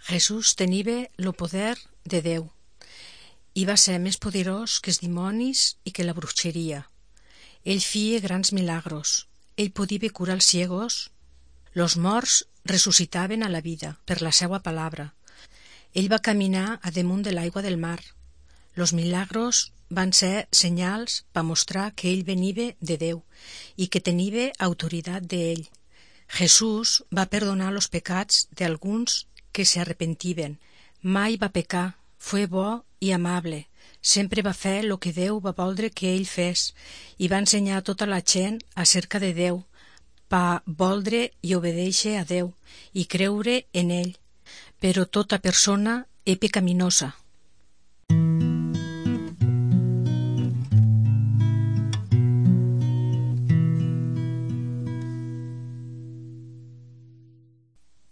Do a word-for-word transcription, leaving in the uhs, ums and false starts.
Jesús teniva lo poder de Déu i va ser més poderós que els dimonis i que la bruixeria. Ell feia grans milagros. Ell podia curar els ciegos. Los morts ressuscitaven a la vida per la seua palabra. Ell va caminar a damunt de l'aigua del mar. Los milagros van ser senyals per mostrar que ell veniva de Déu i que teniva autoritat d'ell. Jesús va perdonar los pecats d'alguns que s'arrepentiven. Mai va pecar, fue bo i amable. Sempre va fer lo que Déu va voldre que ell fes i va ensenyar a tota la gent acerca de Déu, pa voldre i obedèixer a Déu i creure en ell. Però tota persona és pecaminosa